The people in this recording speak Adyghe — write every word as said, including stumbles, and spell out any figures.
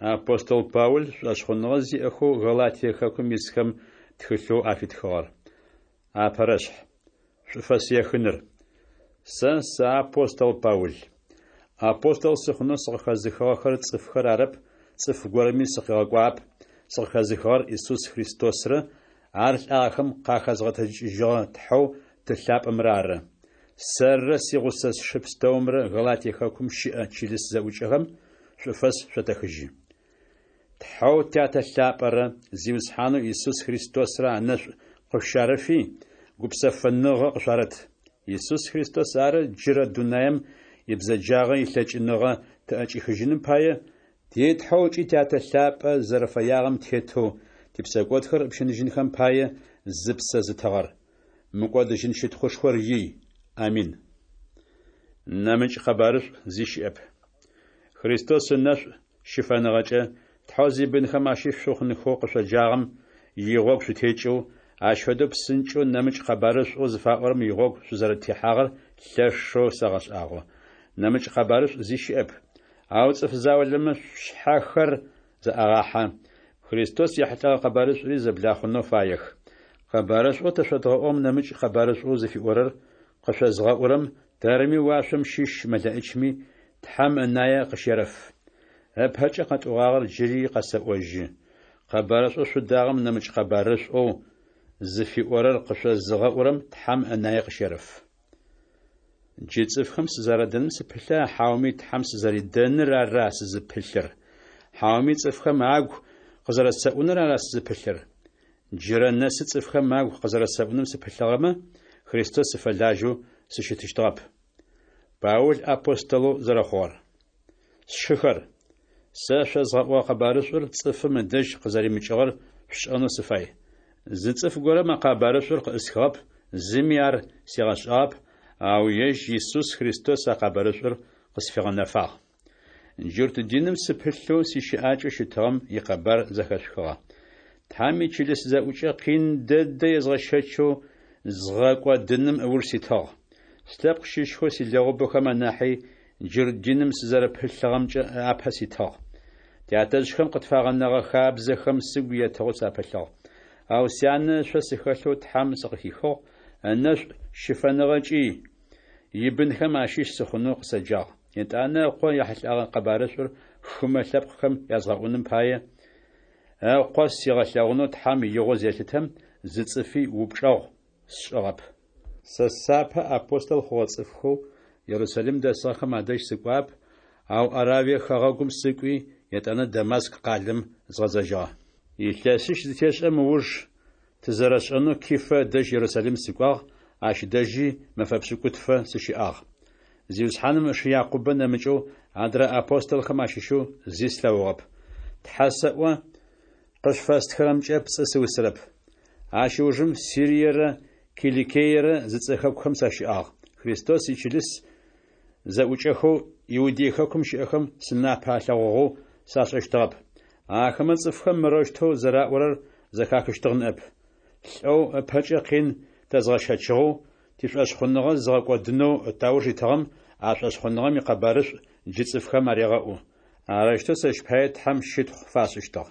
Апостол Паул шӏошъхъуныгъэ зиӏэхэу Галатие хэкум исхэм тхылъэу афитхыгъэр. Апэрэшъхь. Шӏуфэс ехыныр. Сэ сыапостол Паул. Апостол сыхъунэу сыкъыхэзыхыгъэхэр цӏыфхэр арэп, цӏыф горэми сыкъигъэкӏуагъэп, сыкъыхэзыхыгъэр Исус Христосрэ ар лӏагъэхэм къахэзгъэтэджыкӏыжьыгъэ Тхьэу Ты лъапӏэмрэ ары. Сэррэ сигъусэ сшы пстэумрэ Галатие хэкум щыӏэ чылыс зэӏукӏэхэм шӏуфэс шъотэхыжьы. Тхьэу Тятэ лъапӏэрэ Зиусхьанэу Исус Христосрэ анэшӏу къышъущарэфи, гупсэфыныгъэ къышъуарэт. Исус Христос ары джырэ дунаем ибзэджагъэ илъэкӏыныгъэ тыӏэкӏихыжьыным пае, ти Тхьэу ыкӏи Тятэ лъапӏэ зэрэфэягъэм тетэу типсэкӏодхэр ыпщыныжьынхэм пае зыпсэ зытыгъэр. Мыкӏодыжьын щытхъушхор ий. Амин. Нэмыкӏ къэбарышӏу зи щыӏэп. Христос ынэшӏу щыфэныгъэкӏэ Тхьэу зибынхэм ащыщ шъухъунхэу къышъоджагъэм игъогу шъутекӏэу, ащ фэдэу псынкӏэу нэмыкӏ къэбарышӏоу зыфаӏорэм игъогу шъузэрэтехьагъэр лъэшэу сэгъэшӏагъо. Нэмыкӏ къэбарышӏу зи щыӏэп. Ау цӏыф заулэмэ шъушъхьэхэр зэӏагъахьэ, Христос ехьылӏэгъэ къэбарышӏури зэблахъунэу фаех. Къэбарышӏоу тэ шъодгъэӏугъэм нэмыкӏ къэбарышӏоу зыфиӏорэр къышъозгъэӏурэм тэрми уашъом щыщ мэлэӏичми Тхьэм ынае къыщерэф. Ыпэкӏэ къэтӏогъагъэр джыри къэсэӏожьы: къэбарышӏоу шъудагъэм нэмыкӏ къэбарышӏоу зыфиӏорэр къышъозыгъэӏурэм Тхьэм ынае къыщерэф. Джы цӏыфхэм сызэрадэным сыпылъа, хьауми Тхьэм сызэридэныр ара сызыпылъыр? Хьауми цӏыфхэм агу къызэрэсэӏуныр ара сызыпылъыр? Джырэ нэсы цӏыфхэм агу къызэрэсэӏуным сыпылъыгъэмэ, Христос сыфэлажьэу сыщытыщтыгъэп. Паул апостолэу зэрэхъугъэр. Сшыхэр, сэ шъозгъэӏугъэ къэбарышӏур цӏыфым ыдэжь къызэримыкӏыгъэр шъушӏэнэу сыфай. Зы цӏыф горэм а къэбарышӏур къыӏысхыгъэп, зыми ар сигъэшӏагъэп, ау ежь Исус Христос а къэбарышӏур къысфигъэнэфагъ. Джурт диным сыпылъэу сищыӏакӏэу щытыгъэм икъэбар зэхэшъухыгъэ. Тхьэм ичылыс зэӏукӏэ къин дэдэ езгъэщэчэу згъэкӏодыным ыуж ситыгъ. Слъэпкъ щыщхэу силэгъубэхэм анахьи джурт диным сызэрэпылъыгъэмкӏэ апэ ситыгъ. Тятэжъхэм къытфагъэнэгъэ хабзэхэм сыгу етыгъэу сапылъыгъ. Ау сянэ ышъо сыхэлъэу Тхьэм сыкъыхихыгъ, ынэшӏу щыфэныгъэкӏи ибынхэм ащыщ сыхъунэу къысэджагъ. Етӏанэ ыкъо ехьылӏэгъэ къэбарышӏур хымэ лъэпкъхэм язгъэӏуным пае, ыкъо сигъэлъэгъунэу Тхьэм игъо зелъытэм, зы цӏыфи упчӏэгъу сшӏыгъэп. Сэ сапэ апостол хъугъэ цӏыфхэу Ерусалим дэсыгъэхэм адэжь сыкӏуагъэп, ау Аравие хэгъэгум сыкӏуи, етӏанэ Дамаск къалэм згъэзэжьыгъэ. Илъэсищ зытешӏэм ыуж, тызэрэшӏэнэу Кифэ ыдэжь Ерусалим сыкӏуагъ, ащ дэжьи мэфэ пшӏыкӏутфэ сыщыӏагъ. Зиусхьаным ышы Якъубэ нэмыкӏэу адрэ апостолхэм ащыщэу зи слъэгъугъэп. Тхьэ сэӏо, къышъуфэстхырэмкӏэ пцӏы сыусырэп. Ащ ыужым Сириерэ Киликиерэ зыцӏэ хэкухэм сащыӏагъ. Христос ичылыс зэӏукӏэхэу Иудей хэкум щыӏэхэм сынапэ алъэгъугъэу сашӏэщтыгъэп. Ахэмэ цӏыфхэм мырэущтэу зэраӏорэр зэхахыщтыгъ ныӏэп: Лӏэу ыпэкӏэ къин тэзгъэщэчыгъэу, тишӏошъхъуныгъэ зыгъэкӏодынэу тауж итыгъэм а шӏошъхъуныгъэм икъэбарышӏу джы цӏыфхэм арегъэӏу. Арэущтэу сэщ пае Тхьэм щытхъу фашӏыщтыгъ.